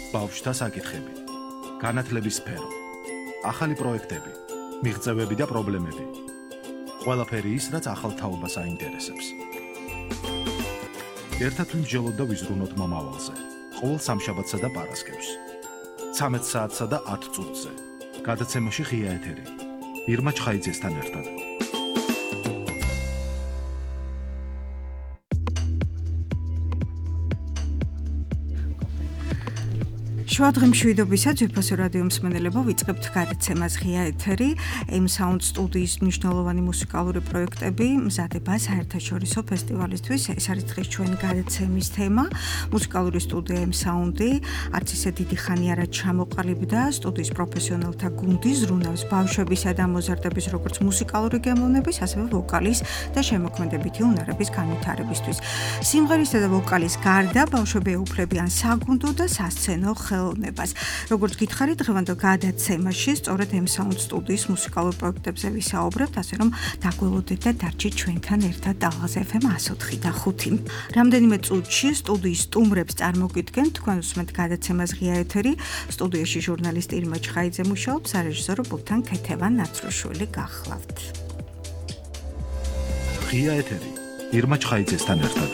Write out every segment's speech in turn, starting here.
ბავშვთა საკითხები, განათლების სფერო, ახალი პროექტები, მიღწევები და პრობლემები. ყველაფერი ის, რაც ახალ თაობას აინტერესებს. ერთად ვიმსჯელოთ და ვიზრუნოთ მომავალზე. ყოველ სამშაბათსა და პარასკევს. 13 საათსა და 10 წუთზე. გადაცემაში ღია ეთერი. ირმა ჩხაიძესთან ერთად. შუადღემშვიდობისა ძვირფასო რადიო მსმენელებო, ვიწყებთ გადაცემას ღია ეთერი. M-Sound სტუდიის მნიშვნელოვანი მუსიკალური პროექტები მზადება საერთაშორისო ფესტივალისთვის. ეს არის დღეს ჩვენი გადაცემის თემა. მუსიკალური სტუდია M-Sound-ი არც ისე დიდი ხანი არა ჩამოყალიბდა სტუდიის პროფესიონალთა გუნდის ზრუნავს ბავშვებისა და მოზარდების როგორც მუსიკალური გემოვნების, ასევე ვოკალის და შემოქმედებითი უნარების განვითარებისთვის. სიმღერისა და ვოკალის გარდა ბავშვები ეუფლებიან საგუნდო და სასცენო ხელოვნებას. როგორც გითხარით, დღევანდელ გადაცემაში სწორედ M-Sound სტუდიის მუსიკალურ პროექტებზე ვისაუბრებთ, ასე რომ დაგველოდეთ და დარჩით ჩვენთან ერთად ტალღაზე FM 104 და 5. რამდენიმე წუთში სტუდიის სტუმრებს წარმოგიდგენთ, თქვენ უსმენთ გადაცემას ღია ეთერი. სტუდიაში ჟურნალისტი ირმა ჩხაიძე მუშაობს, სარეჟისორო ბულთან ქეთევან ნაცრუშვილი გახლავთ. ღია ეთერი ირმა ჩხაიძესთან ერთად.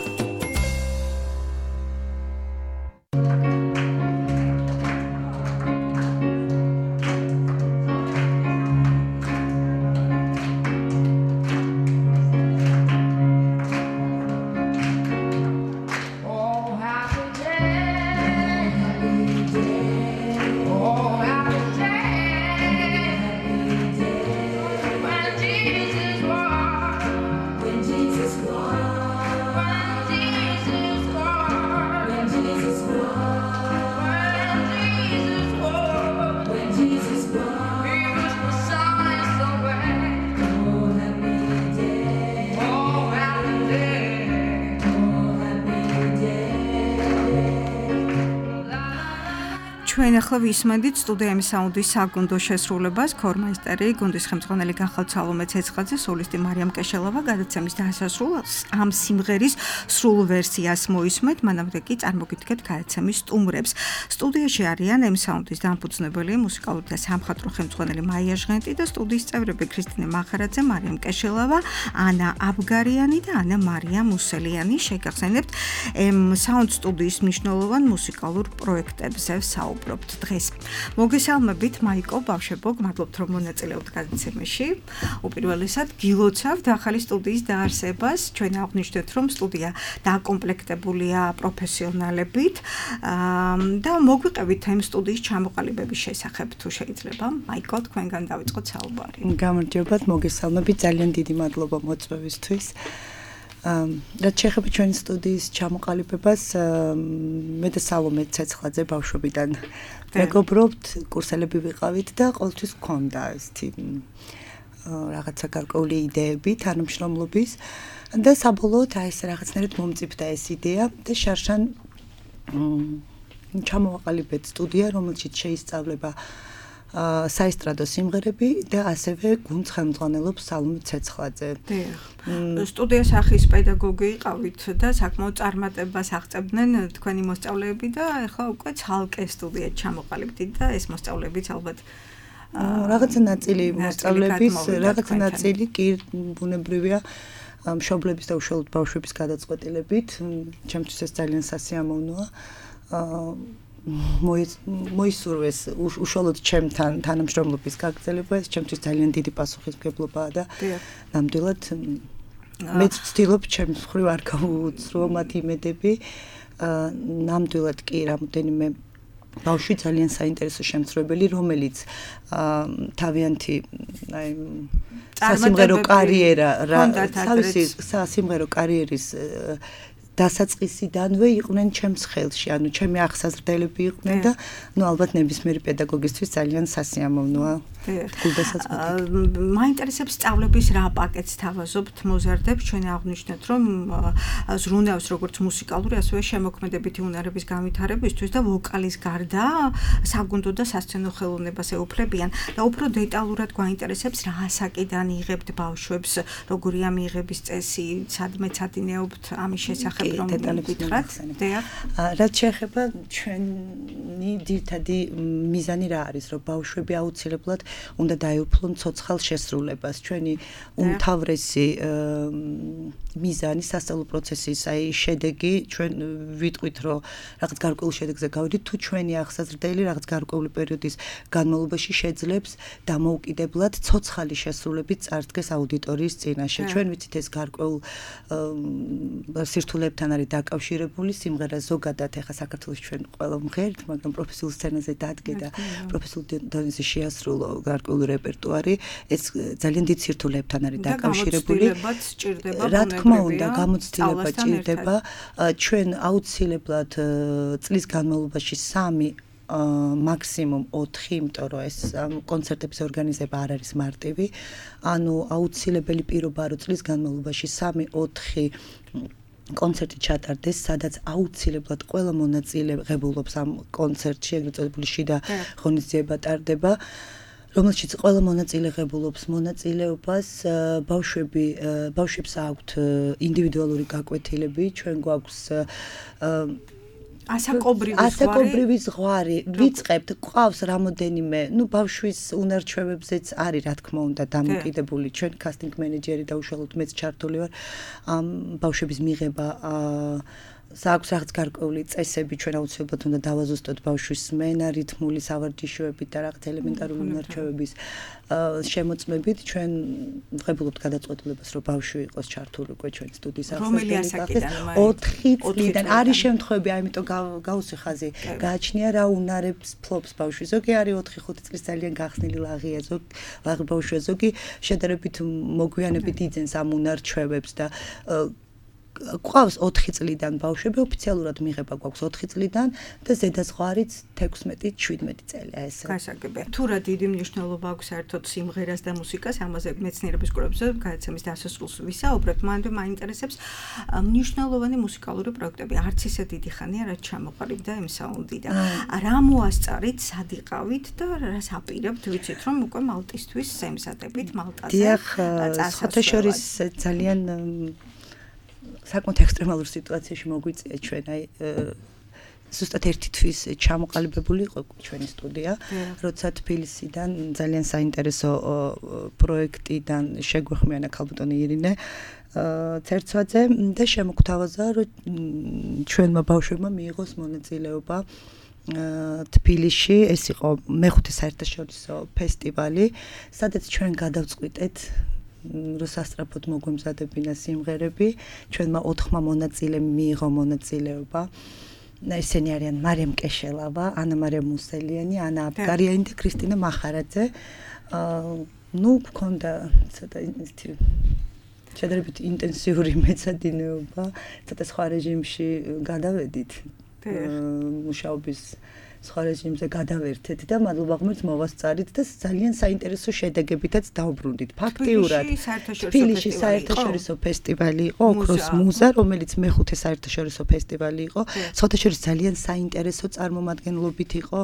ჩვენ ახლა ვისმენთ სტუდია M-Sound-ის საგუნდო შესრულებას, ქორმაისტერი, გუნდის ხელმძღვანელი განხალ სალომე ცეცხაძე, სოლისტი მარიამ კეშელავა გადაცემის დასასრულს ამ სიმღერის სრულ ვერსიას მოისმენთ, მანამდე კი წარმოგიდგეთ გადაცემის სტუმრებს. სტუდიაში არიან M-Sound-ის დამფუძნებელი, მუსიკალური და სამხატვრო ხელმძღვანელი მაია ჟღენტი და სტუდიის წევრები ქრისტინე მახარაძე, მარიამ კეშელავა, ანა აბგარიანი და ანა მარია მუსელიანი. შეგახსენებთ M-Sound სტუდიის მნიშვნელოვან მუსიკალურ პროექტებზე საუბრობთ დღეს. მოგესალმებით მაიკო ბავშვებო, გმადლობთ რომ მონაწილეობთ გადაცემაში. უპირველესად გილოცავთ ახალი სტუდიის დაარსებას. ჩვენ აღვნიშნეთ რომ სტუდია დაკომპლექტებულია პროფესიონალებით და მოგვიყევით ამ სტუდიის ჩამოყალიბების შესახებ თუ შეიძლება. მაიკო, თქვენგან დავიწყოთ საუბარი. გამარჯობათ, მოგესალმებით, ძალიან დიდი მადლობა მოწვევისთვის. რაც შეეხება ჩვენი სტუდიის ჩამოყალიბებას, მე და სალომე ცეცხაძე ბავშვობიდან მეგობრობთ, კურსელები ვიყავით და ყოველთვის გქონდა ესეთი რაღაცა გარკვეული იდეები თანამშრომლობის და საბოლოოდ აი ეს რაღაცნაირად მომწიფდა ეს იდეა და შარშან ჩამოვაყალიბეთ სტუდია, რომელშიც შეისწავლება საესტრადო სიმღერები და ასევე გუნდს ხელმძღვანელობს სალომე ცეცხაძე. სტუდიის სახის პედაგოგი იყავით და საკმაოდ წარმატებას აღწევდნენ თქვენი მოსწავლეები და ახლა უკვე ცალკე სტუდიად ჩამოყალიბდით და ეს მოსწავლეებიც ალბათ რაღაცა ნაწილი მოსწავლეების, რაღაცა ნაწილი კი ბუნებრივია მშობლების და უშუალოდ ბავშვების გადაწყვეტილებით. ჩემთვის ეს ძალიან სასიამოვნოა. მოისურვეს უშუალოდ ჩემთან თანამშრომლობის გაგრძელება, ეს ჩემთვის ძალიან დიდი პასუხისმგებლობაა და ნამდვილად მეც ვცდილობ ჩემს მხრივ არ გავუცრუო მათ იმედები. ნამდვილად კი რამოდენიმე ბავშვი ძალიან საინტერესო შემსრულებელი, რომელიც თავიანთი აი სასიმღერო კარიერა, სასიმღერო კარიერის დასაწყისიდანვე იყვნენ ჩემს ხელში, ანუ ჩემი აღსაზრდელები იყვნენ და ალბათ ნებისმიერი პედაგოგისთვის ძალიან სასიამოვნოა. მაინტერესებს სწავლების რა პაკეტს თავაზობთ მოზარდებს, ჩვენ აღვნიშნეთ რომ ზრუნავს როგორც მუსიკალური, ასევე შემოქმედებითი უნარების განვითარებისთვის და ვოკალის გარდა საგუნდო და სასცენო ხელოვნებას ეუფლებიან და უფრო დეტალურად გვაინტერესებს რა ასაკიდან იღებთ ბავშვებს, როგორია მიიღების წესი, სადმე ცადინეობთ ამის შესახებ რომ გითხრათ რაც შეეხება ჩვენი ძირითადი მიზანი რა არის რომ ბავშვები აუცილებლად უნდა დაეუფლონ ცოცხალ შესრულებას ჩვენი უმთავრესი მიზანი სასწავლო პროცესის აი შედეგი ჩვენ ვიტყვით რომ რაღაც გარკვეულ შედეგზე გავიდით თუ ჩვენი ახსაზრდელი რაღაც გარკვეული პერიოდის განმავლობაში შეძლებს დამოუკიდებლად ცოცხალი შესრულებით წარდგეს აუდიტორიის წინაშე ჩვენ ვიცით ეს გარკვეულ სირთულეებთან არის დაკავშირებული სიმღერა ზოგადად ეხა საქართველოს ჩვენ ყველა მღერთ მაგრამ პროფესიულ სცენაზე დადგე და პროფესიულ დონეზე შეასრულო გარკვეული რეპერტუარი ეს ძალიან დიდ სირთულეებთან არის დაკავშირებული რა თქმა უნდა გამოცდილება ჭირდება ჩვენ აუცილებლად წლის განმავლობაში 3 მაქსიმუმ 4 იმიტომ რომ ეს კონცერტების ორგანიზება არ არის მარტივი ანუ აუცილებელი პირობა რომ წლის განმავლობაში 3-4 კონცერტი ჩატარდეს სადაც აუცილებლად ყველა მონაწილე ღებულობს ამ კონცერტში ეგრეთ წოდებული შიდა ღონისძიება ტარდება რომელშიც ყველა მონაწილე ღებულობს მონაწილეობას ბავშვებს აქვთ ინდივიდუალური გაკვეთილები ჩვენ გვაქვს ასაკობრივი ზღვარი ვიწყებთ ყავს რამოდენიმე ბავშვის უნარჩვევებზეც არის რა თქმა უნდა დამოკიდებული ჩვენ კასტინგ მენეჯერი და უშუალოდ მეც ჩართული ვარ ამ ბავშვების მიღება საქვს რაღაც გარკვეული წესები ჩვენ აუცილებლად უნდა დავაზუსტოთ ბავშვის სმენა რითმული სავარჯიშოებით და რაღაც ელემენტარული უნარჩვევების შემოწმებით ჩვენ ვღებულობთ გადაწყვეტილებას რომ ბავშვი იყოს ჩართული უკვე ჩვენ სტუდიის ახსნაში 4 წლიდან არის შემთხვევები ამიტომ გავუსვი ხაზი გააჩნია რა უნარებს ფლობს ბავშვი ზოგი არის 4-5 წლის ძალიან გახსნილი ლაღია ლაღი ბავშვია ზოგი შედარებით მოგვიანებით იძენს ამ უნარჩვევებს და გვყავს 4 წლიდან ბავშვები ოფიციალურად მიღება გვაქვს 4 წლიდან და ზედაზღვარიც 16-17 წელია ეს. გასაგებია. თუ რა დიდი მნიშვნელობა აქვს საერთოდ სიმღერას და მუსიკას, ამაზე მეცნიერების კვლევებზე გადაცემის დასასრულს ვისაუბრებთ, მანამდე მაინტერესებს მნიშვნელოვანი მუსიკალური პროექტები. არც ისე დიდი ხანია, რაც ჩამოყალიბდა M-Sound-დან. რა მოასწარით, სად იყავით და რას აპირებთ, ვიცით რომ უკვე მალტისთვის ემზადებით მალტაზე. დიახ, საერთაშორის ძალიან საკმაოდ ექსტრემალურ სიტუაციაში მოგვიწია ჩვენ აი ზუსტად ერთი თვის ჩამოყალიბებული იყო ჩვენი სტუდია, როცა თბილისიდან ძალიან საინტერესო პროექტიდან შეგვეხმიანა ქალბატონი ირინე ცერცვაძე და შემოგთავაზა რომ ჩვენმა ბავშვებმა მიიღოს მონაწილეობა თბილისში, ეს იყო მეხუთე საერთაშორისო ფესტივალი, სადაც ჩვენ გადავწყვიტეთ რომ სასწრაფოდ მოგვემზადებინა სიმღერები, ჩვენმა 4 მონაწილემ მიიღო მონაწილეობა. ესენი არიან მარიამ კეშელავა, ანა მარიამ მუსელიანი, ანა აბგარიანი და ქრისტინა მახარაძე. გქონდა ცოტა შედარებით ინტენსიური მეცადინეობა, ცოტა სხვა რეჟიმში გადავედით. მუშაობის სხვა რეჟიმზე გადავერთეთ და მადლობა ღმერთს მოვასწარით და ძალიან საინტერესო შედეგებითაც დავბრუნდით. ფაქტიურად თბილისში საერთაშორისო ფესტივალი იყო, ოქროს მუზა, რომელიც მეხუთე საერთაშორისო ფესტივალი იყო. საერთაშორისო ძალიან საინტერესო წარმომადგენლობით იყო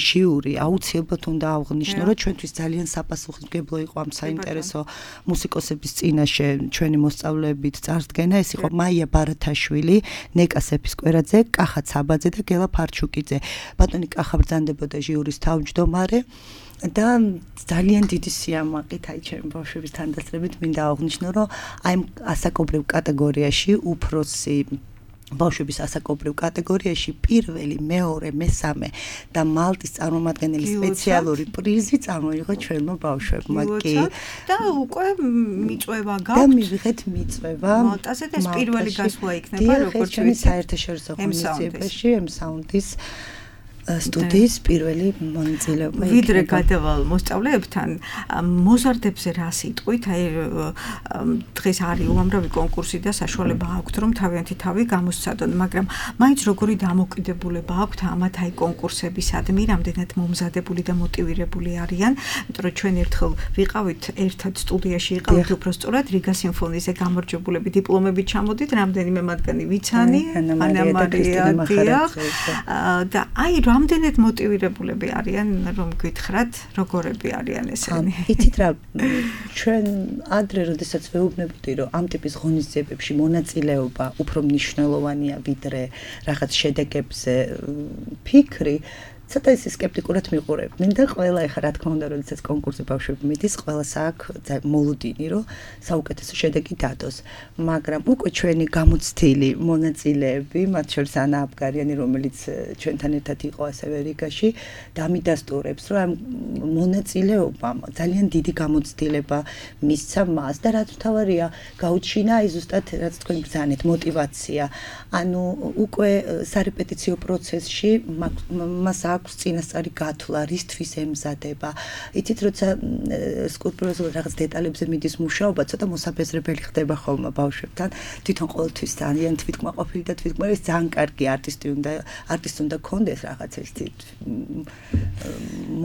ჟიური. აუცილებლად უნდა აღვნიშნო, რომ ჩვენთვის ძალიან საპასუხისმგებლო იყო ამ საინტერესო მუსიკოსების წინაშე ჩვენი მოსწავლეებით წარდგენა. ეს იყო მაია ბარათაშვილი, ნეკა სეფისკვერაძე, კახა ცაბაძე და გელა ფარჩუკიძე. ბატონი კახა ბრძანდებოდა ჟიურის თავმჯდომარე და ძალიან დიდი სიამაყით აი ჩემი ბავშვების თანდასწრებით მინდა აღვნიშნო, რომ აი ასაკობრივ კატეგორიაში უფროსი ბავშვების ასაკობრივ კატეგორიაში პირველი, მეორე, მესამე და მალტის წარმომადგენელი სპეციალური პრიზი წარმოიღო ჩვენმა ბავშვებმა. კი. და უკვე მიწვევა გაქვთ. და მივიღეთ მიწვევა. მალტაზე და ეს პირველი გასვლა იქნება, როგორც ვიცი, საერთაშორისო ღონისძიებაში M-Sound-ის სტუდიის პირველი მონაწილეობა. ვიდრე გადავალ მოსწავლეებთან, მოზარდებზე რა სიტყვით, აი დღეს არის უამრავი კონკურსი და საშუალება აქვთ, რომ თავიანთი თავი გამოსცადონ, მაგრამ მაინც როგორი დამოკიდებულება აქვთ ამათ აი კონკურსებისადმი, რამდენად მომზადებული და მოტივირებული არიან, იმიტომ რომ ჩვენ ერთხელ ვიყავით ერთად სტუდიაში იყავით უფრო სწორად რიგა სიმფონიზე გამარჯვებულები დიპლომებით ჩამოდით, რამდენიმე მათგანი ვიცანი, ანა მარია და აი რამდენად მოტივირებულები არიან რომ გითხრათ როგორები არიან ესენი? იცით რა ჩვენ ადრე როდესაც ვეუბნებოდი რომ ამ ტიპის ღონისძიებებში მონაწილეობა უფრო მნიშვნელოვანია ვიდრე რაღაც შედეგებზე ფიქრი ცოტა ისე სკეპტიკურად მიყურებდნენ და ყველა ეხლა რა თქმა უნდა როდესაც კონკურსზე ბავშვები მიდის ყველას აქვს მოლოდინი რომ საუკეთესო შედეგი დადოს მაგრამ უკვე ჩვენი გამოცდილი მონაწილეები მათ შორის ანა აბგარიანი რომელიც ჩვენთან ერთად იყო ასევე რიგაში დამიდასტურებს რომ ამ მონაწილეობამ ძალიან დიდი გამოცდილება მისცა მას და რაც მთავარია გაუჩინა აი ზუსტად რაც თქვენ ბრძანეთ мотиваცია ანუ უკვე სარეპეტიციო პროცესში მას აქვს წინასწარი გათვლა, რისთვის ემზადება. იცით, როცა სკულპტურაზე რაღაც დეტალებზე მიდის მუშაობა, ცოტა მოსაბეზრებელი ხდება ხოლმე ბავშვებთან. თვითონ ყოველთვის ძალიან თვითკმაყოფილი და თვითკმაყოფილი ძალიან კარგი არტისტი უნდა კონდეს რაღაც ერთი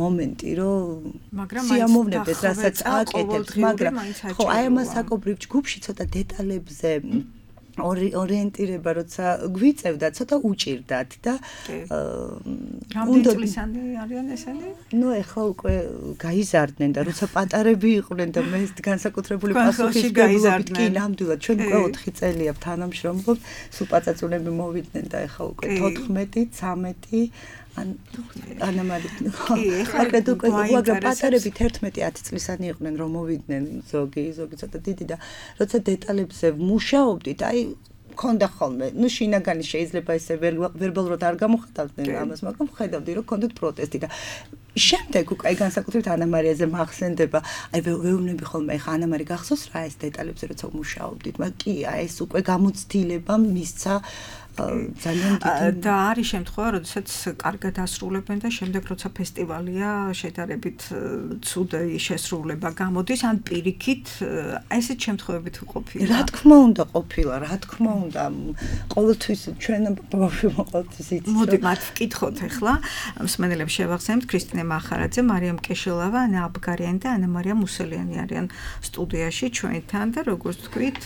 მომენტი, რომ სიამოვნებდეს, რასაც აკეთებს, მაგრამ ხო, აი ამას აკობრივ ჯგუფში ცოტა დეტალებზე ორიენტირება როცა გვიწევდა ცოტა უჭირდათ და რამდენი წლისანი არიან ესენი? ნუ ეხლა უკვე გაიზარდნენ და როცა პატარები იყვნენ და მე განსაკუთრებული პასუხისმგებლობით კი ნამდვილად ჩვენ უკვე 4 წელია თანამშრომლობთ სულ პაწაწუნები მოვიდნენ და ეხლა უკვე 14 13 ანა მარიტი ახლა უკვე პატარები 11-10 წლისანი იყვნენ რომ მოვიდნენ ზოგი ცოტა დიდი და როცა დეტალებზე მუშაობდით აი ქონდა ხოლმე ნუ შინაგანი შეიძლება ესე ვერბალურად არ გამოხატავდნენ ამას მაგრამ ხედავდი რომ ქონდათ პროტესტი და შემდეგ უკვე აი განსაკუთრებით ანა მარიაზე მახსენდება აი ვეუბნები ხოლმე ახლა ანა მარი გახსოვს რა ეს დეტალებზე როცა მუშაობდით მაგრამ კი აი ეს უკვე გამოცდილება მისცა ძალიან დიდი და არის შემთხვევა, როდესაც კარგად ასრულებენ და შემდეგ როცა ფესტივალია შედარებით ცუდი შესრულება გამოდის, ან პირიქით ესეთ შემთხვევებით ყოფილა. რა თქმა უნდა ყოფილა, რა თქმა უნდა, ყოველთვის ჩვენ ბავშვებმა ყოველთვის იცით. მოდი მათ ვკითხოთ ახლა. მსმენელებს შევახსენებთ ქრისტინე მახარაძე, მარიამ კეშელავა, ანა აბგარიანი და ანა მარია მუსელიანი არიან სტუდიაში ჩვენთან და როგორც თქვით,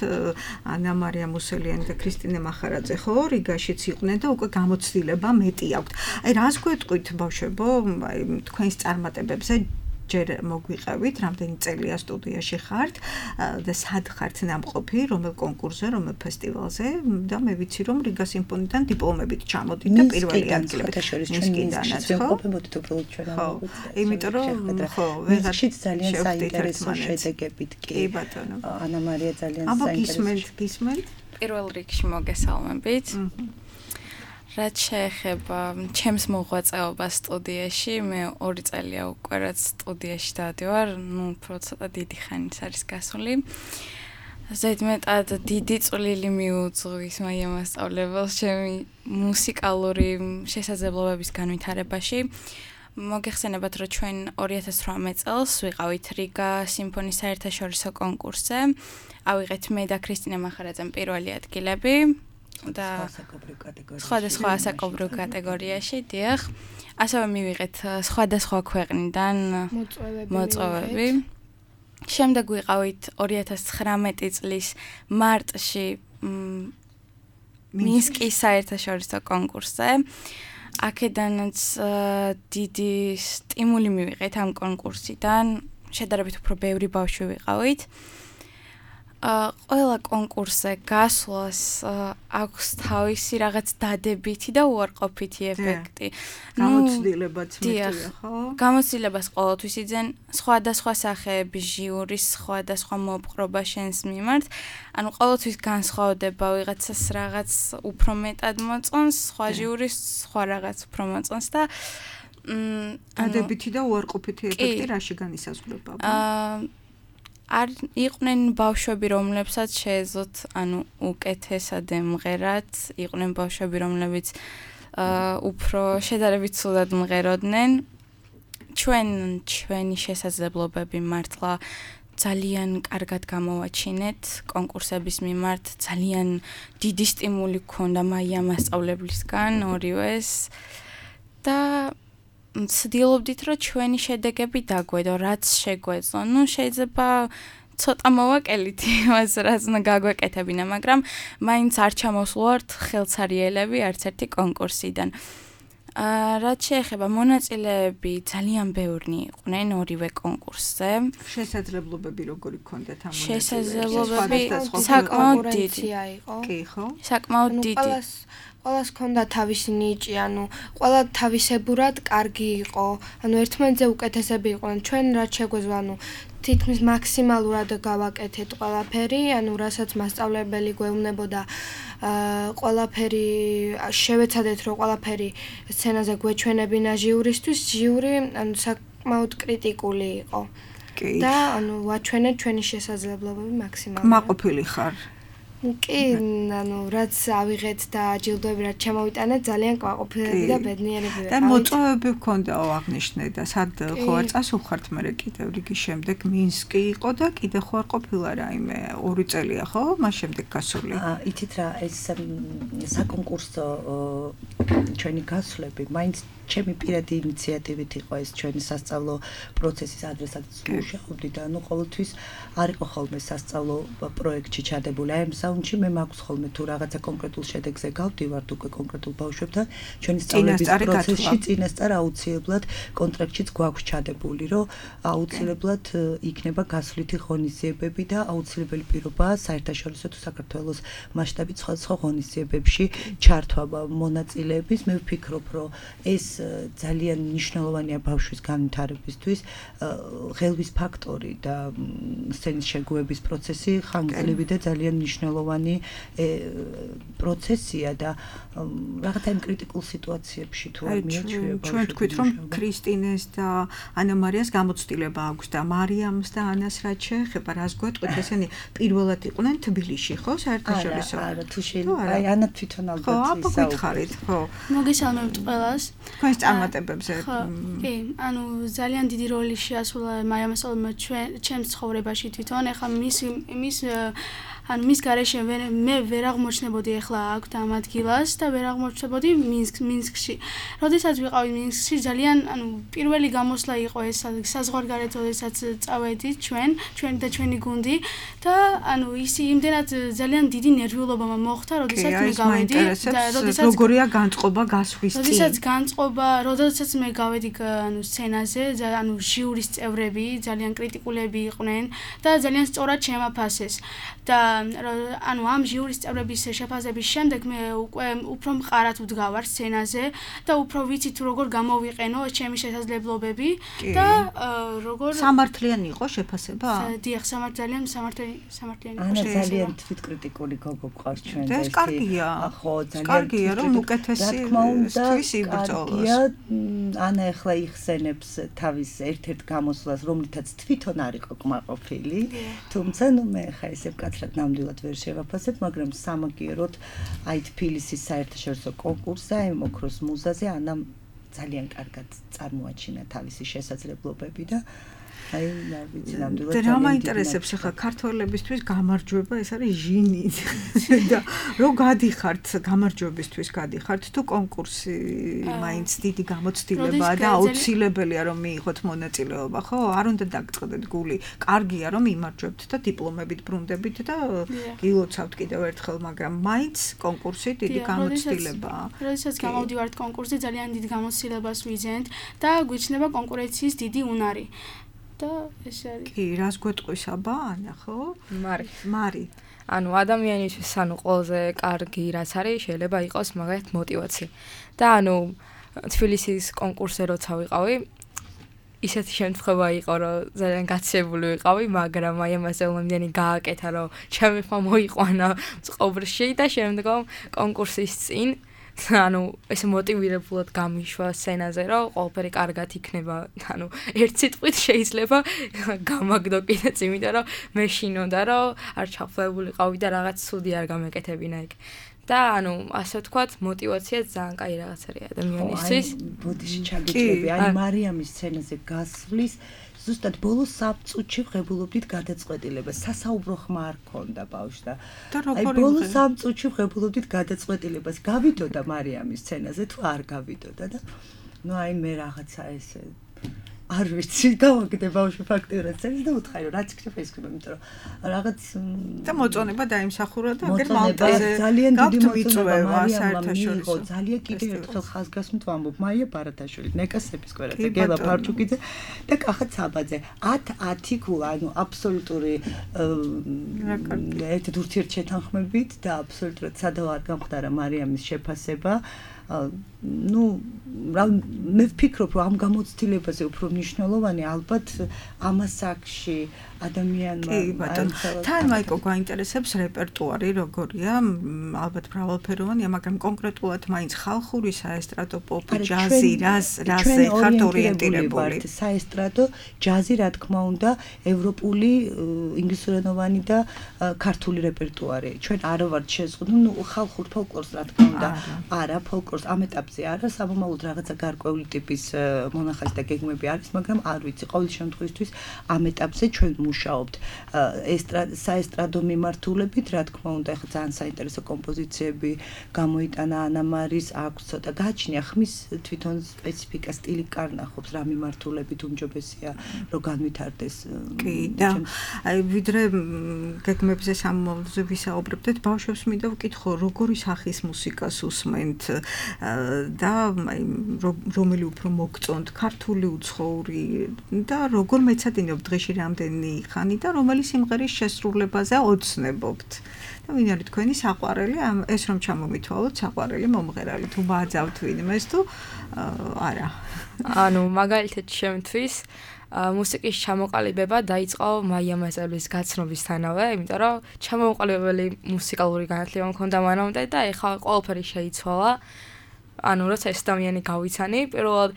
ანა მარია მუსელიანი და ქრისტინე მახარაძე ხო რიგაშიც იყვნენ და უკვე გამოცდილება მეტი აქვთ. აი რას გვეტყვით ბავშვებო, აი თქვენს წარმატებებზე ჯერ მოგვიყევით, რამდენი წელია სტუდიაში ხართ და სად ხართ ნამყოფი, რომელ კონკურსზე, რომელ ფესტივალზე და მე ვიცი რომ რიგა სიმფონიიდან დიპლომებით ჩამოდით და პირველი ადგილები ნისკიდანაც ხო? ყოფილობთ უბრალოდ ჩვენ ამოგვიწევთ. იმიტომ რომ ხო, ვეღარშიც ძალიან საინტერესო შედეგებით კი. კი ბატონო. ანა მარია ძალიან საინტერესო. გისმენთ? პირველ რიგში მოგესალმებით. რაც შეეხება ჩემს მოღვაწეობას სტუდიაში, მე 2 წელია უკვე რაც სტუდიაში დავდივარ, ნუ უფრო ცოტა დიდი ხანიც არის გასული. ზედმეტად დიდი წვლილი მიუძღვის მაია მასწავლებელს ჩემი მუსიკალური შესაძლებლობების განვითარებაში. მოგეხსენებათ, რომ ჩვენ 2018 წელს ვიყავით რიგა სიმფონიის საერთაშორისო კონკურსზე. ავიღეთ მე და ქრისტინე მახარაძემ პირველი ადგილები და სხვადასხვა ასაკობრივ კატეგორიაში, დიახ. ასევე მივიღეთ სხვადასხვა ქვეყნიდან მოწვევები. შემდეგ ვიყავით 2019 წლის მარტში მინსკის საერთაშორისო კონკურსზე. აქედანაც დიდი სტიმული მივიღეთ ამ კონკურსიდან, შედარებით უფრო ბევრი ბავშვი ვიყავით. ყველა კონკურსზე გასვლას აქვს თავისი რაღაც დადებითი და უარყოფითი ეფექტი. გამოცდილებაც მეტია, ხო? გამოცდილებას ყოველთვის იძენ სხვადასხვა სახეების ჟიურის სხვადასხვა მოპყრობა შენს მიმართ. ანუ ყოველთვის განსხვავდება ვიღაცას რაღაც უფრო მეტად მოწონს, სხვა ჟიურის სხვა რაღაც უფრო მოწონს და დადებითი და უარყოფითი ეფექტი რაში განისაზღვრება? არ იყვნენ ბავშვები, რომლებსაც შეეძლოთ, ანუ უკეთესად ემღერათ, იყვნენ ბავშვები, რომლებიც უფრო შედარებით ცუდად მღეროდნენ. ჩვენი შესაძლებლობები მართლა ძალიან კარგად გამოვაჩინეთ კონკურსების მიმართ, ძალიან დიდი სტიმული გქონდა მაია მასწავლებლისგან ორივეს და ვცდილობდით, რომ ჩვენი შედეგები დაგვედო, რაც შეგვეძლო. ნუ შეიძლება ცოტა მოვაკელით იმას, რაც გაგვეკეთებინა, მაგრამ მაინც არ ჩამოსვლართ ხელცარიელები არც ერთი კონკურსიდან. რაც შეეხება მონაწილეები ძალიან ბევრნი იყვნენ ორივე კონკურსზე. შესაძლებლობები როგორი გქონდათ ამ შესაძლებლობები საკმაოდ დიდი იყო. კი, ხო? საკმაოდ დიდი. ყველას ჰქონდა თავისი ნიჭი, ყველა თავისებურად კარგი იყო. ერთმანეთზე უკეთესები იყვნენ. ჩვენ რაც შეგვეძლო, თითქმის მაქსიმალურად გავაკეთეთ ყველაფერი, რასაც მასწავლებელი გვეუბნებოდა, ყველაფერი შევეცადეთ, რომ ყველაფერი სცენაზე გვეჩვენებინა ჟიურისთვის. ჟიური საკმაოდ კრიტიკული იყო. და ვაჩვენეთ ჩვენი შესაძლებლობები მაქსიმალურად. მაყოფილი ხარ? კი, რაც ავიღეთ და ჯილდოები რაც ჩამოვიტანეთ, ძალიან კვაყოფილები და ბედნიერები ვიყავით. და მოწვევები გქონდაო აღნიშნე და სად ხო არ წასულხართ მერე კიდევ რიგი შემდეგ მინსკი იყო და კიდე ხო არ ყოფილა რაიმე 2 წელია ხო? მას შემდეგ გასული. იცით რა, ეს საკონკურსო ჩვენი გასვლები მაინც ჩემი პირადი ინიციატივით იყო ეს ჩვენი სასწავლო პროცესის ადრესაც მუშაობდი და ყოველთვის არ იყო ხოლმე სასწავლო პროექტში ჩადებული. აი ამ საუნდში მე მაქვს ხოლმე თუ რაღაცა კონკრეტულ შედეგზე გავდივართ უკვე კონკრეტულ ბავშვებთან ჩვენი სწავლების პროცესში წინასწარ აუცილებლად კონტრაქტშიც გვაქვს ჩადებული, რომ აუცილებლად იქნება გასვლითი ღონისძიებები და აუცილებელი პირობაა საერთაშორისო თუ საქართველოს მასშტაბით სხვადასხვა ღონისძიებებში ჩართვა მონაწილეების. მე ვფიქრობ, რომ ეს ძალიან მნიშვნელოვანია ბავშვის განვითარებისთვის. ღელვის ფაქტორი და სცენის შეგუების პროცესი ხანგრძლივი და ძალიან მნიშვნელოვანი პროცესია და რაღაცა იმ კრიტიკულ სიტუაციებში თუ არ მიაჩვევა. ჩვენ თქვით, რომ ქრისტინეს და ანა მარიას გამოცდილება აქვს და მარიამს და ანას რაც შეეხება, რას გვეტყვით, ესენი პირველად იყვნენ თბილისში, ხო, საერთაშორისო? არა, თუ შეიძლება. აი ანა თვითონ ალბათ ისაუბრეთ, ხო. მოგესალმებით ყველას. თქვენს წარმატებებზე. კი, ძალიან დიდი როლი შეასრულა მარიამ ასალმა ჩემს ცხოვრებაში თვითონ. ეხლა მის გარეშე მე ვერ აღმოჩნდებოდი ახლა აქ ამ ადგილას და ვერ აღმოჩნდებოდი მინსკში. როდესაც ვიყავი მინსკში, ძალიან პირველი გამოსვლა იყო ეს საზღვარგარეთ, როდესაც წავედით ჩვენ და ჩვენი გუნდი და იმდენად ძალიან დიდი ნერვიულობა მოხდა, როდესაც მე გავედი და როგორია განწყობა გასვლის წინ. როდესაც მე გავედი სცენაზე, ჟიურის წევრები ძალიან კრიტიკულები იყვნენ და ძალიან სწორად შემაფასეს. და ამ ჟიურის წევრების შეფასების შემდეგ მე უკვე უფრო მყარად ვდგავარ სცენაზე და უფრო ვიცი თუ როგორ გამოვიყენო ჩემი შესაძლებლობები და როგორ სამართლიანი იყო შეფასება? დიახ, სამართლიანი იყო. ანა ძალიან თვითკრიტიკული გოგო გყავს ჩვენ და ეს კარგია. ხო, ძალიან კარგია რომ უკეთესი თვის იბრძოლოს. ანა ახლა იხსენებს თავის ერთ-ერთ გამოსვლას, რომლითაც თვითონ არ იყო კმაყოფილი, თუმცა მე ხა ესე მკაცრად ნამდვილად ვერ შევაფასებ, მაგრამ სამაგიეროდ აი თბილისის საერთაშორისო კონკურსზე, აი ოქროს მუზაზე ანა ძალიან კარგად წარმოაჩინა თავისი შესაძლებლობები და აი ვიცი ნამდვილად და რა მაინტერესებს ახლა ქართველებისთვის გამარჯვება ეს არის ჟინი და რო გადიხართ გამარჯვებისთვის გადიხართ თუ კონკურსი მაინც დიდი გამოცდილებაა და აუცილებელია რომ მიიღოთ მონაწილეობა ხო არ უნდა დაგწყდეთ გული კარგია რომ იმარჯვებთ და დიპლომებით ბრუნდებით და გილოცავთ კიდევ ერთხელ მაგრამ მაინც კონკურსი დიდი გამოცდილებაა როდესაც გამოვდივართ კონკურსზე ძალიან დიდ გამოცდილებას ვიძენთ და გვიჩნდება კონკურენციის დიდი უნარი და ეს არის კი რას გვეტყვის აბა ანა ხო მარი ადამიანისთვის ყველაზე კარგი რაც არის შეიძლება იყოს მაგათ мотиваცია და თბილისის კონკურსზე როცა ვიყავი ისეთი შემთხვევა იყო რომ ძალიან გაცილებული ვიყავი მაგრამ აი ამაზე მომდენი გააკეთა რომ ჩემი ხმა მოიყვანა წყობრში და შემდგომ კონკურსის წინ ეს მოტივირებულად გამიშვა სცენაზე რომ ყველაფერი კარგად იქნება ერთ სიტყვით შეიძლება გამაგდო კიდეც იმიტომ რომ მე შინოდა რომ არ ჩაფლებულიყავი და რაღაც ცუდი არ გამეკეთებინა იქ და ასე ვთქვათ мотиваცია ძალიან კაი რაღაც არის ადამიანისთვის ბოდიში ჩაგიჭრები აი მარიამის სცენაზე გასვლის ზუსტად ბოლო 3 წუთში ვღებულობდით გადაწყვეტილებას. სასაუბრო ხმა არ ქონდა ბავშვს და აი ბოლო 3 წუთში ვღებულობდით გადაწყვეტილებას. გავიდოდა მარიამის სცენაზე თუ არ გავიდოდა და აი მე რაღაცა ესე არ ვიცი, გავაკეთე ბავშვი ფაქტიურად წერს და უთხარი რომ რაც იქნება ის იქნება, იმიტომ რომ რაღაც და მოწონება დაიმსახურა და აგერ მალტაზე ძალიან დიდი მოწონება საერთაშორისო ძალიან კიდევ ერთხელ ხაზგასმით ვამბობ მაია ბარათაშვილი, ნეკა სეპისკვერაძე, გელა ფარჩუკიძე და კახა ცაბაძე 10 ქულა, ანუ აბსოლუტური ერთ ურთიერთშეთანხმებით და აბსოლუტურად სადავ არ გამხდარა მარიამის შეფასება. Ну, მე ვფიქრობ, რომ ამ გამოცდილებაზე უფრო მნიშვნელოვანი ალბათ ამასაკში ადამიანმა თან მაიკო გაინტერესებს რეპერტუარი როგორია, ალბათ მრავალფეროვანია, მაგრამ კონკრეტულად მაინც ხალხური, საესტრადო, პოპი, ჯაზი, რაზე ხართ ორიენტირებული? საესტრადო, ჯაზი, რა თქმა უნდა, ევროპული, ინგლისურენოვანი და ქართული რეპერტუარი. ჩვენ არ ვართ შეზღუდული, ну, ხალხურ ფოლკლორს რა თქმა უნდა, არა, ფოლკლორს ამ ეტაპზე არა, საბოლოოდ რაღაცა გარკვეული ტიპის მონახაზი და გეგმები არის, მაგრამ არ ვიცი, ყოველ შემთხვევაში ამ ეტაპზე ჩვენ მუშაობთ საესტრადო მიმართულებით, რა თქმა უნდა, ახლა ძალიან საინტერესო კომპოზიციები გამოიტანა ანამარის, აქვს ცოტა გააჩნია ხმის თვითონ სპეციფიკა, სტილი კარნახობს, რა მიმართულებით უმჯობესია, რომ განვითარდეს. კი, და აი ვიდრე გეგმებზე სამომავლოზე ვისაუბრებდეთ, ბავშვებს მინდა ვკითხო, როგორი სახის მუსიკას უსმენთ და რომელი უფრო მოგწონთ, ქართული უცხოური და როგორ მეცადინებთ დღეში რამდენი ხანი და რომელი სიმღერის შესრულებაზე ოცნებობთ. და ვინ არის თქვენი საყვარელი, ეს რომ ჩამომითვალოთ, საყვარელი მომღერალი, თუ ბაძავთ ვინმეს თუ არა. ანუ მაგალითად შემთთვის მუსიკის ჩამოყალიბება დაიწყო მაია მასწავლებლის გაცნობისთანავე, იმიტომ რომ ჩამოყალიბებელი მუსიკალური განათლება მქონდა მანამდე და ეხლა ყველაფერი შეიცვალა. ანუ როცა ეს ადამიანი გავიცანი, პირველად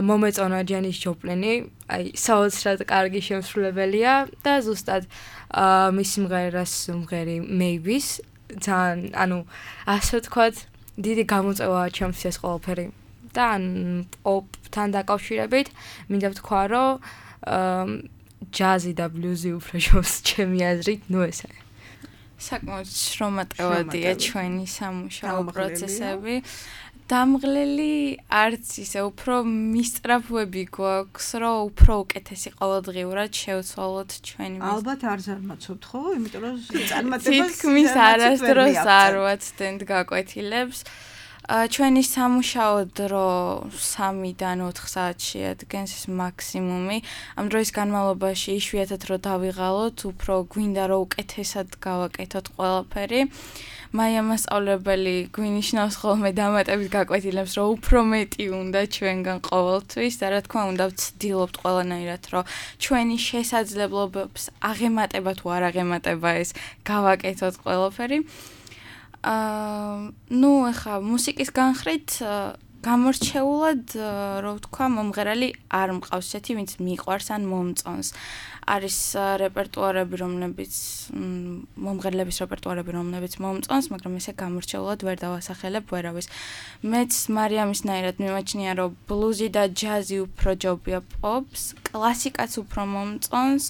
მომეწონა ჯენის ჯოპლინი, აი საოცრად კარგი შემსრულებელია და ზუსტად მის სიმღერას სიმღერი Maybe-ს ძალიან, ანუ ასე ვთქვათ, დიდი გამოწვევაა ჩემთვის ეს ყველაფერი. და პოპთან დაკავშირებით მინდა ვთქვა, რომ ჯაზი და ბლუზი უფრო შობს ჩემი აზრით, ну ესე. საკმაოდ შრომატევადია ჩვენი სამუშაო პროცესები. დამღლელი არც ისე უფრო მისწრაფვები გვაქვს, რომ უფრო უკეთესი ყოველდღიურად შევცვალოთ ჩვენი ალბათ არ ზარმაცობთ, ხო? იმიტომ რომ წარმატებას თითქმის არასდროს არ ვაცდენთ გაკვეთილებს. ჩვენი სამუშაო დრო 3-დან 4 საათს შეადგენს ეს მაქსიმუმი. ამ დროის განმავლობაში იშვიათად რომ დავიღალოთ, უფრო გვინდა რომ უკეთესად გავაკეთოთ ყველაფერი. მაია მასწავლებელი გვინიშნავს ხოლმე დამატებით გაკვეთილებს, რომ უფრო მეტი უნდა ჩვენგან ყოველთვის და რა თქმა უნდა ვცდილობთ ყველანაირად, რომ ჩვენი შესაძლებლობებს აღემატება თუ არ აღემატება ეს გავაკეთოთ ყველაფერი. ну, ახლა მუსიკის განხრით გამორჩეულად, რო ვთქვა, მომღერალი არ მყავს ესეთი, ვინც მიყვარს ან მომწონს. არის რეპერტუარები, რომლებიც მომღერლების რეპერტუარები, რომლებიც მომწონს, მაგრამ ესე გამორჩეულად ვერ დავასახელებ ვერავის. მეც მარიამისნაირად მიმაჩნია, რომ ბლუზი და ჯაზი უფრო ჯობია პოპს, კლასიკაც უფრო მომწონს.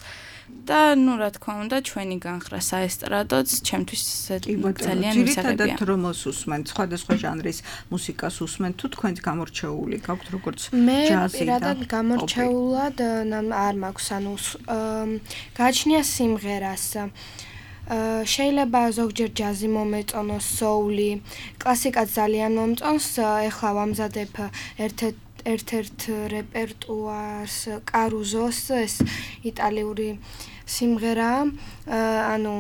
და ну რა თქმა უნდა ჩვენი განხრა საესტრადოც ჩემთვის ძალიან მისაღებია. ძირითადად რომოს უსმენთ, სხვადასხვა ჟანრის მუსიკას უსმენთ, თუ თქვენთ გამორჩეული გაქვთ როგორც ჯაზი და მე პირადად გამორჩეულად არ მაქვს, ანუ გააჩნია სიმღერას. შეიძლება ზოგჯერ ჯაზი მომეწონოს, soul-ი, კლასიკაც ძალიან მომწონს, ეხლა ვამზადებ ერთ-ერთ რეპერტუარს კარუზოს, ეს იტალიური სიმღერაა, ანუ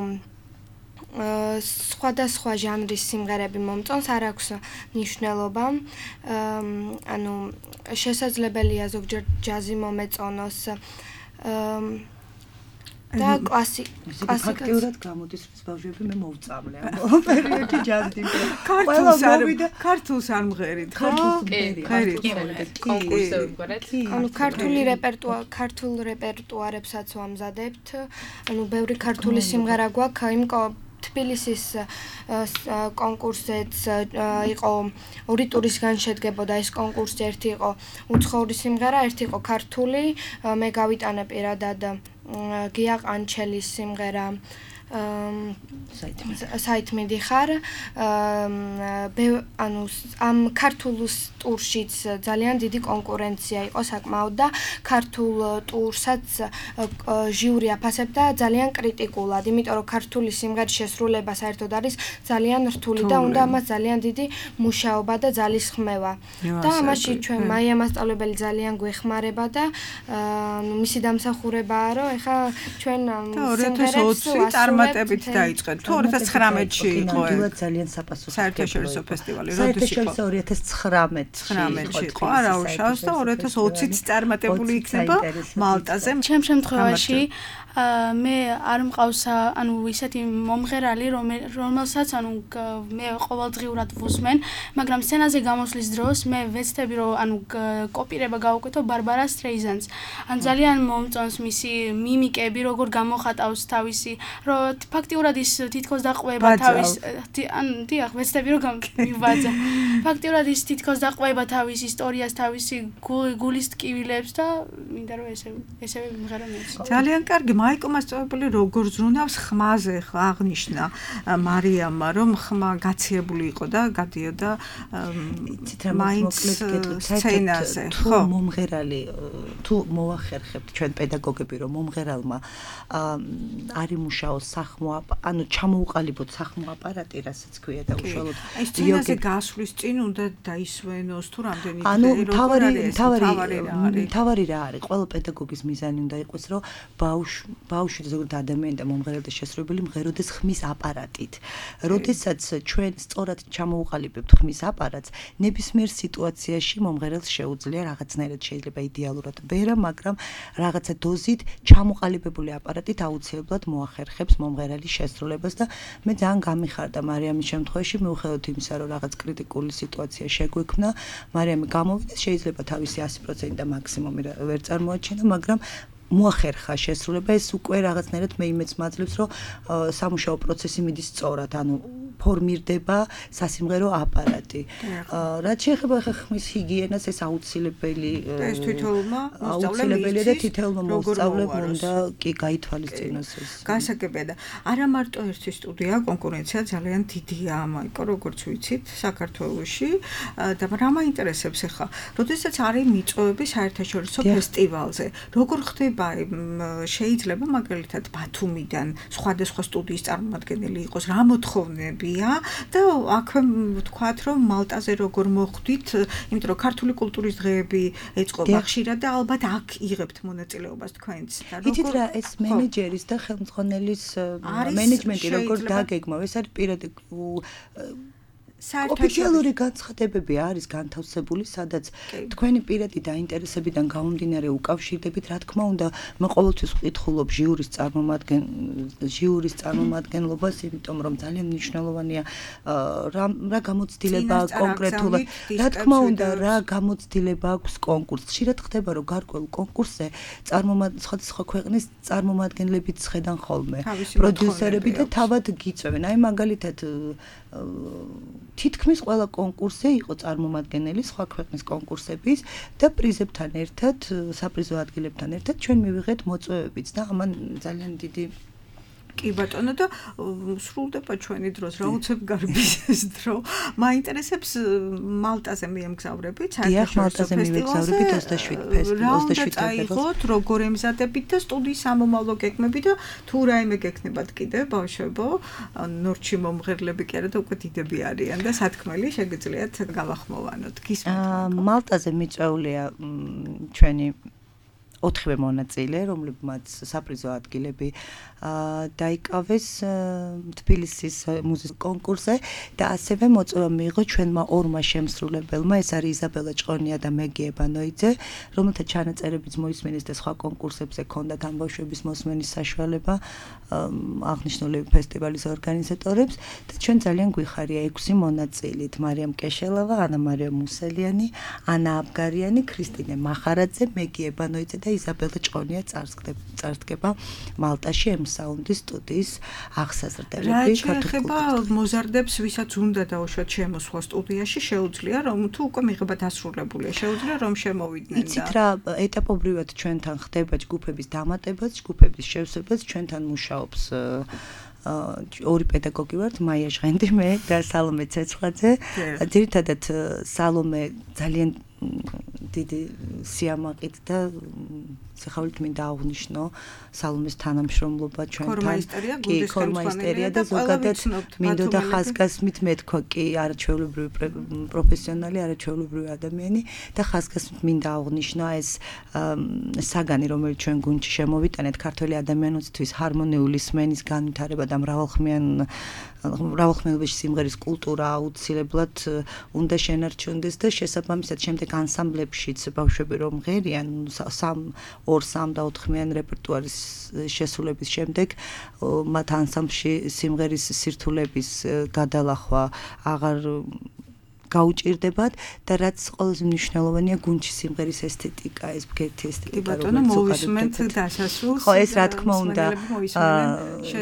სხვადასხვა ჟანრის სიმღერები მომწონს, არ აქვს მნიშვნელობა, ანუ შესაძლებელია ზოგჯერ ჯაზი მომეწონოს, და კლასიკურად გამოდის ბავშვები მე მოვწამლე ამ პერიოდში ჯაზი ქართულს არ მღერით, ხო? კონკურსზე ვიმღერეთ. ანუ ქართულ რეპერტუარებსაც ვამზადებთ. ანუ ბევრი ქართული სიმღერა გვაქვს, იმ თბილისის კონკურსზეც იყო 2 ტურისგან შედგებოდა ეს კონკურსი, ერთი იყო უცხოური სიმღერა, ერთი იყო ქართული, მე გავიტანე პირადად გია ყანჩელის სიმღერა საით მიდიხარ ანუ ამ ქართულ ტურშიც ძალიან დიდი კონკურენცია იყო საკმაოდ და ქართულ ტურსაც ჟიური აფასებდა ძალიან კრიტიკულად, იმიტომ რომ ქართული სიმღერის შესრულება საერთოდ არის ძალიან რთული და უნდა ამას ძალიან დიდი მუშაობა და ძალისხმევა. და ამაში ჩვენ მაია მასწავლებელი ძალიან გვეხმარება და მისი დამსახურებაა, რომ ეხა ჩვენ სიმღერებს 2020 წარმატებით დაიწყეთ. თუ 2019-ში იყო ძალიან საფასო საერთაშორისო ფესტივალი, როდის იყო? 2019-ში იყო, არა უშავს და 2020-იც წარმატებული იქნება მალტაზე. ჩემ შემთხვევაში მე არ მყავს ანუ ისეთი მომღერალი რომელსაც ანუ მე ყოველდღიურად ვუსმენ, მაგრამ სცენაზე გამოსვლის დროს მე ვეცდები რომ ანუ კოპირება გავუკეთო ბარბარა სტრეიზანს. ან ძალიან მომწონს მისი მიმიკები, როგორ გამოხატავს თავისი, რომ ფაქტიურად ის თითქოს დაყვება თავის ან დიახ, ვეცდები რომ მივაძა. ფაქტიურად ის თითქოს დაყვება თავის ისტორიას, თავისი გულის ტკივილებს და მინდა რომ ესე მიმღერო მეც. ძალიან კარგი. მაიკო მასწავლებელი როგორ ზრუნავს ხმაზე აღნიშნა მარიამმა, რომ ხმა გაციებული იყო და გადიოდა მაინც სცენაზე. ხო, მომღერალი თუ მოახერხებთ ჩვენ პედაგოგები რომ მომღერალმა არ იმუშაოს სახმო ანუ ჩამოუყალიბოთ სახმო აპარატი, რასაც ქვია და უშუალოდ სცენაზე გასვლის წინ უნდა დაისვენოს თუ რამდენი ანუ თავარი რა არის? ყველა პედაგოგის მიზანი უნდა იყოს, რომ ბავშვი ზოგადად ადამიანი და მომღერალთა შესრულებელი მღეროდეს ხმის აპარატით. როდესაც ჩვენ სწორად ჩამოუყალიბებთ ხმის აპარატს, ნებისმიერ სიტუაციაში მომღერალს შეუძლია რაღაცნაირად შეიძლება იდეალურად ვერა, მაგრამ რაღაცა დოზით ჩამოყალიბებული აპარატით აუცილებლად მოახერხებს მომღერალის შესრულებას და მე ძალიან გამიხარდა მარიამის შემთხვევაში, მიუხედავად იმისა, რომ რაღაც კრიტიკული სიტუაცია შეგვექმნა, მარიამი გამოვიდა, შეიძლება თავისი 100% და მაქსიმუმი ვერ წარმოაჩინა, მაგრამ მოახერხა შესრულება, ეს უკვე რაღაცნაირად მე იმედს მაძლევს, რომ სამუშაო პროცესი მიდის სწორად, ანუ ფორმირდება სასიმღერო აპარატი. რაც შეეხება ხმის ჰიგიენას, ეს აუცილებელი ეს თვითონმა აუცილებელია და თითოეულმა მოსწავლემ უნდა კი გაითვალისწინოს ეს. გასაგებია და არა მარტო ერთი სტუდია, კონკურენცია ძალიან დიდია, მაიკო, როგორც ვიცით, საქართველოში და რა მაინტერესებს ახლა, როდესაც არის მიწვევები საერთაშორისო ფესტივალზე, როგორ ხდება შეიძლება მაგალითად ბათუმიდან სხვადასხვა სტუდიის წარმომადგენელი იყოს, რა მოთხოვნები და აქვე ვთქვათ, რომ მალტაზე როგორ მოხვდით, იმიტომ რომ ქართული კულტურის დღეები ეწყობა ხშირად და ალბათ აქ იღებთ მონაწილეობას თქვენც და როგორ იცით რა, ეს მენეჯერის და ხელმძღვანელის მენეჯმენტი როგორ დაგეგმავ, ეს არის პირადი ოფიციალური განცხადებები არის განთავსებული, სადაც თქვენი პირადი დაინტერესებიდან გამომდინარე უკავშირდებით, რა თქმა უნდა, მე ყოველთვის ვკითხულობ ჟიურის წარმომადგენლობას, იმიტომ რომ ძალიან მნიშვნელოვანია რა გამოცდილება კონკრეტულად, რა თქმა უნდა, რა გამოცდილება აქვს კონკურსს. ხშირად ხდება, რომ გარკვეულ კონკურსზე სხვადასხვა ქვეყნის წარმომადგენლებიც ხედან ხოლმე, პროდიუსერები და თავად გიწვევენ. აი მაგალითად თითქმის ყველა კონკურსზე იყო წარმომადგენელი სხვა ქვეყნის კონკურსების და პრიზებთან ერთად, საპრიზო ადგილებთან ერთად ჩვენ მივიღეთ მოწვევებიც და ამან ძალიან დიდი კი ბატონო და სრულდება ჩვენი დროს, რა უცებ გარბის ეს დრო. მაინტერესებს მალტაზე მიემგზავრებით, საერთაშორისო ფესტივალზე 27 ფებრουარს. როგორ ემზადებით და სტუდიის სამომავლო გეგმები და თუ რაიმე გექნებათ კიდე ბავშვებო, ნორჩი მომღერლები კი არა და უკვე დიდები არიან და სათქმელი შეგიძლიათ გავახმოვანოთ. გისმენთ. მალტაზე მიწვეულია ჩვენი 4 მონაწილე, რომლებმაც საპრიზო ადგილები დაიკავეს თბილისის მუსიკის კონკურსზე და ასევე მოწვევა მიიღო ჩვენმა 2 შემსრულებელმა, ეს არის იზაბელა ჭყონია და მეგი ებანოიძე, რომელთა ჩანაწერებიც მოისმენეს და სხვა კონკურსებზე ჰქონდათ ამ ბავშვების მოსმენის საშუალება აღნიშნული ფესტივალის ორგანიზატორებს და ჩვენ ძალიან გვიხარია 6 მონაწილით: მარიამ კეშელავა, ანა მარია მუსელიანი, ანა აბგარიანი, ქრისტინე მახარაძე, მეგი ებანოიძე და იზაბელა ჭყონია წარსდგება მალტაში საუნდის სტუდიის აღსაზრდელები ქართულობა მოზარდებს, ვისაც უნდა დაუშვათ შემოსვლა სტუდიაში, შეუძლია რომ თუ უკვე მიღება დასრულებულია, შეუძლია რომ შემოვიდნენ და იცით რა, ეტაპობრივად ჩვენთან ხდება ჯგუფების დამატებაც, ჯგუფების შევსებაც, ჩვენთან მუშაობს ორი პედაგოგი ვართ, მაია ჟღენდი მე და სალომე ცეცხლაძე. ძირითადად სალომე ძალიან დიდი სიამაყით და სიხარულით მინდა აღვნიშნო სალომეს თანამშრომლობა ჩვენთან. კი, ქორმაისტერია და ზოგადად მინდოდა ხაზგასმით მეთქვა კი არაჩვეულებრივი პროფესიონალი, არაჩვეულებრივი ადამიანი და ხაზგასმით მინდა აღვნიშნო ეს საგანი, რომელიც ჩვენ გუნდში შემოვიტანეთ ქართველი ადამიანისთვის ჰარმონიული სმენის განვითარება და მრავალხმეულებაში სიმღერის კულტურა აუცილებლად უნდა შენარჩუნდეს და შესაბამისად შემდეგ ანსამბლებშიც ბავშვები რომ ღერიან 2-3 და 4-ხმიანი რეპერტუარის შესრულების შემდეგ მათ ანსამბლში სიმღერის სირთულების გადალახვა აღარ გაუჭირდებათ და რაც ყველაზე მნიშვნელოვანია გუნდში სიმღერის ესთეტიკა, ეს ბგერთი ესთეტიკა რომელიც მოვისმენთ დასასრულს. ხო, ეს რა თქმა უნდა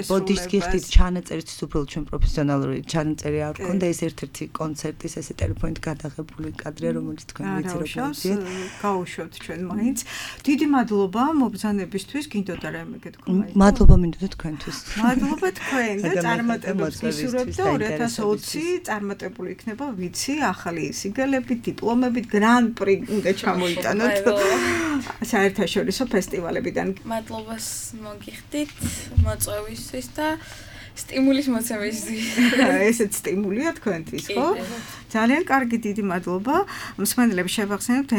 ბოდიშკი ხდით ჩანაწერისთვის უბრალოდ ჩვენ პროფესიონალური ჩანაწერი არ გქონდა, ეს ერთ-ერთი კონცერტის ესე ტელეფონით გადაღებული კადრია, რომელიც თქვენ ვიცი როგორ გიძიეთ. გაუშვებთ ჩვენ მაინც. დიდი მადლობა მობრძანებისთვის, გინდოდა რამე გეთქვა. მადლობა მინდოდა თქვენთვის. მადლობა თქვენ და წარმატებებს გისურვებთ და 2020 წარმატებული იქნება, ვიცი. ახალი სიგელებით, დიპლომებით, გრან-პრი უნდა ჩამოიტანოთ საერთაშორისო ფესტივალებიდან. მადლობას მოგიხდით მოწვევისთვის და სტიმულის მოცემისთვის. ესეც სტიმულია თქვენთვის, ხო? ძალიან კარგი, დიდი მადლობა. მსმენელებს შევახსენებთ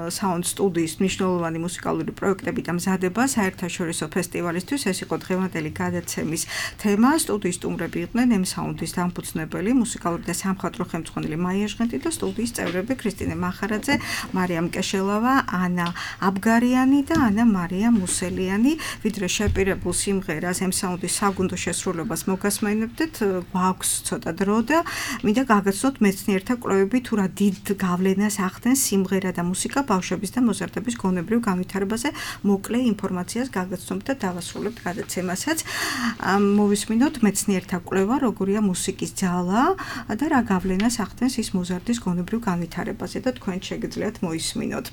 Sound სტუდიის მნიშვნელოვანი მუსიკალური პროექტები და მზადება საერთაშორისო ფესტივალისთვის. ეს იყო დღევანდელი გადაცემის თემა. სტუდიის სტუმრები იყვნენ Sound-ის დამფუძნებელი, მუსიკალური და სამხატვრო ხელმძღვანელი მაია ჟღენტი და სტუდიის წევრები ქრისტინე მახარაძე, მარიამ კეშელავა, ანა აბგარიანი და ანა მარია მუსელიანი. ვიდრე შეპირებულ სიმღერას Sound-ის საგუნდო შესრულებას მოგასმენებდეთ, გვაქვს ცოტა დრო და მინდა გაგაცნოთ მეცნიერთა კვლევები თუ რა დიდ გავლენას ახდენს სიმღერა და მუსიკა ბავშვების და მოზარდების გონებრივ განვითარებაზე. მოკლე ინფორმაციას გაგაცნობთ და დავასრულებთ გადაცემასაც. მოვისმინოთ მეცნიერთა კვლევა, როგორია მუსიკის ძალა და რა გავლენას ახდენს ის მოზარდის გონებრივ განვითარებაზე და თქვენ შეგიძლიათ მოისმინოთ.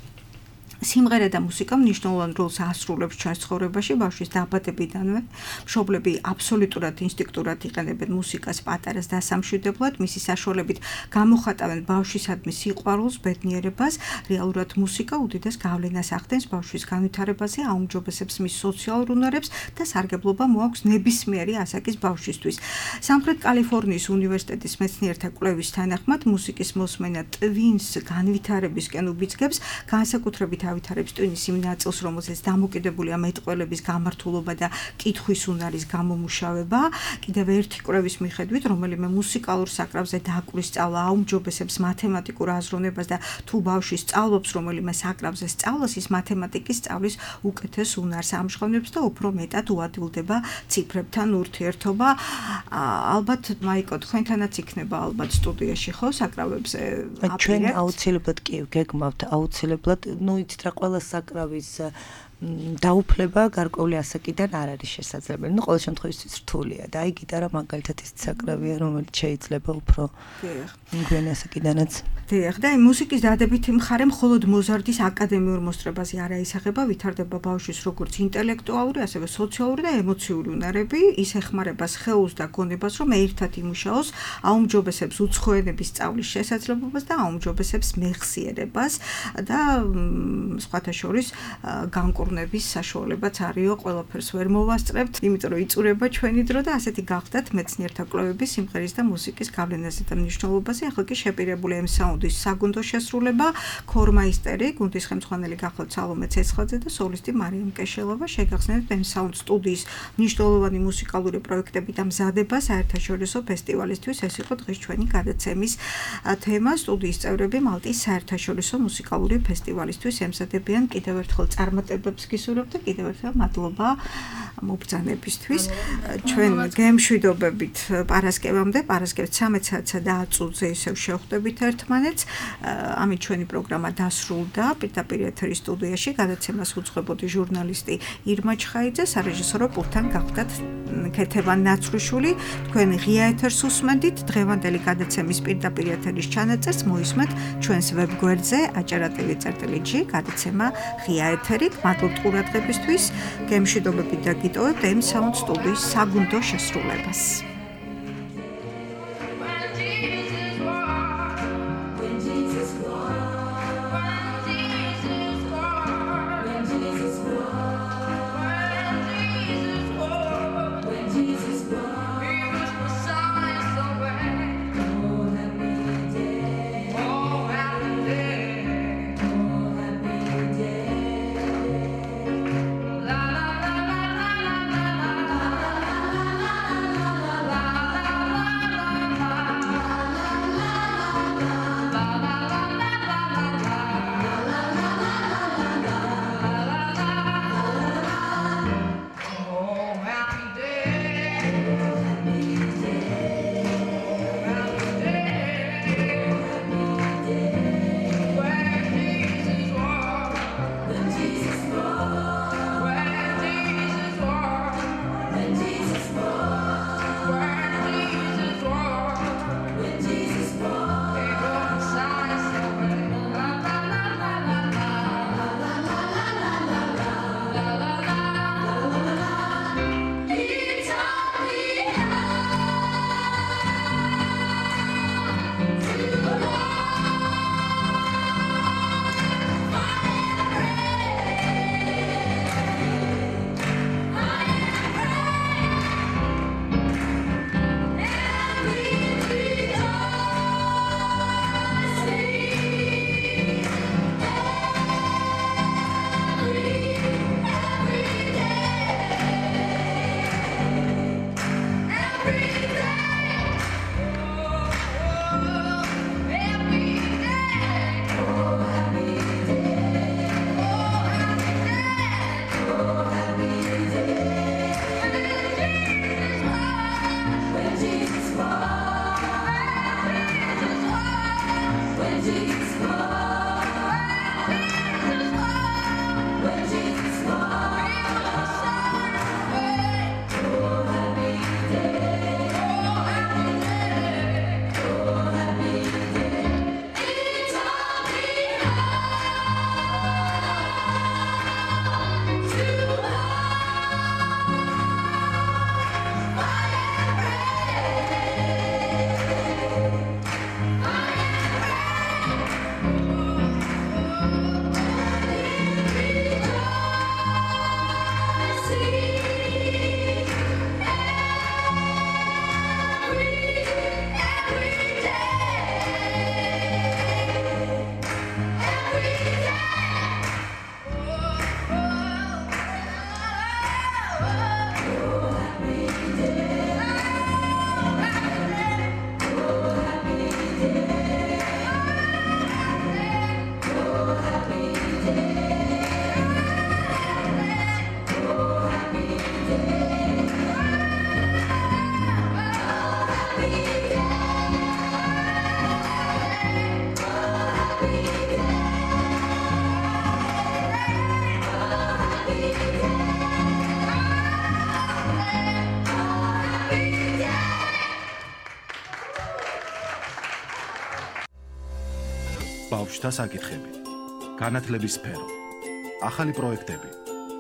სიმღერა და მუსიკა მნიშვნელოვან როლს ასრულებს ჩვენს ცხოვრებაში, ბავშვის დაბადებიდანვე. მშობლები აბსოლუტურად ინსტინქტურად იყენებენ მუსიკას პატარას დასამშვიდებლად, მისი საშუალებით გამოხატავენ ბავშვისადმი სიყვარულს, ბედნიერებას. რეალურად მუსიკა უდიდეს გავლენას ახდენს ბავშვის განვითარებაზე, აუმჯობესებს მის სოციალურ უნარებს და სარგებლობა მოაქვს ნებისმიერი ასაკის ბავშვისთვის. სამხრეთ კალიფორნიის უნივერსიტეტის მეცნიერთა კვლევის თანახმად, მუსიკის მოსმენა ტვინს განვითარებისკენ უბიძგებს, განსაკუთრებით ავითარებს ტვინის იმ ნაწილს, რომელზეც დამოკიდებულია მეტყველების გამართულობა და კითხვის უნარის გამომუშავება. კიდევ ერთი კვლევის მიხედვით, რომელიმე მუსიკალურ საკრავზე დაკვრის სწავლა აუმჯობესებს მათემატიკურ აზროვნებას და თუ ბავშვი სწავლობს რომელიმე საკრავზე სწავლას, ის მათემატიკის სწავლის უკეთეს უნარს ამჟღავნებს და უფრო მეტად უადვილდება ციფრებთან ურთიერთობა. ალბათ მაიკო თქვენთანაც იქნება ალბათ სტუდიაში ხო საკრავებზე აპირებთ? ჩვენ აუცილებლად კი გეგმავთ, აუცილებლად, ну იცით რა ყველა საკრავის დაუფლება გარკვეული ასაკიდან არ არის შესაძლებელი. ნუ ყოველ შემთხვევაში რთულია და აი გიტარა მაგალითად ის საკრავია, რომელიც შეიძლება უფრო მგვიანი ასაკიდანაც. დიახ, და მუსიკის დადებითი მხარე მხოლოდ მოზარდის აკადემიურ მოსწრებაზე არ აისახება, ვითარდება ბავშვის როგორც ინტელექტუალური, ასევე სოციალური და ემოციური უნარები, ის ეხმარება სხეულს და გონებას, რომ ერთად იმუშაოს, აუმჯობესებს უცხოენების სწავლის შესაძლებლობას და აუმჯობესებს მეხსიერებას და სხვათა შორის განკურნების საშუალებაც არისო, ყველაფერს ვერ მოვასწრებთ, იმიტომ რომ იწურება ჩვენი დრო და ასეთი გახდათ მეცნიერთა კვლევები სიმღერის და მუსიკის გავლენაზე და მნიშვნელობაზე. ახლა კი შეპირებული Sound-ის საგუნდო შესრულება, ქორმაისტერი, გუნდის ხელმძღვანელი გახლავთ სალომე ცეცხლაძე და სოლისტი მარიამ კეშელავა. შეგახსენებთ Sound სტუდიის მნიშვნელოვანი მუსიკალური პროექტები და მზადება საერთაშორისო ფესტივალისთვის. ეს იყო დღეს ჩვენი გადაცემის თემა. სტუდიის წევრები მალტის საერთაშორისო მუსიკალური ფესტივალისთვის ემზადებიან. კიდევ ერთხელ წარმატებებს გისურვებთ და კიდევ ერთხელ მადლობა მობრძანებისთვის. ჩვენ გემშვიდობებით პარასკევამდე, პარასკევს 13 საათსა და 10 წუთზე ისევ შევხვდებით ერთმანეთს. ამით ჩვენი პროგრამა დასრულდა. პირდაპირ ეთერის სტუდიაში გადაცემას უძღვებოდი ჟურნალისტი ირმა ჩხაიძე, სარეჟისორო პულტთან გახდათ ქეთევან ნაცრუშვილი. თქვენ ღია ეთერს უსმენდით. დღევანდელი გადაცემის პირდაპირ ეთერის ჩანაწერს მოისმენთ ჩვენს ვებგვერდზე acerratv.gi გადაცემა ღია ეთერი. მადლობა გსურვებთ ყურადღებისთვის, გემშვიდობებით და გიტოვებთ M-Sound სტუდიის საგუნდო შესრულებას. ბავშვთა საკითხები, განათლების სფერო, ახალი პროექტები,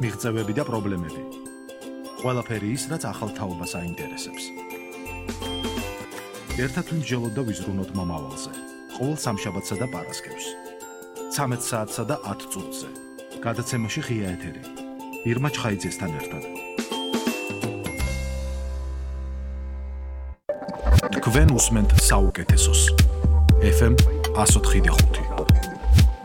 მიღწევები და პრობლემები. ყველაფერი ის, რაც ახალ თაობას აინტერესებს. ერთად ვიმსჯელოთ და ვიზრუნოთ მომავალზე, ყოველ სამშაბათსა და პარასკევს. 13 საათსა და 10 წუთზე. გადაცემაში ღია ეთერი. ირმა ჩხაიძესთან ერთად. თქვენ უსმენთ საუკეთესოს. FM 104.5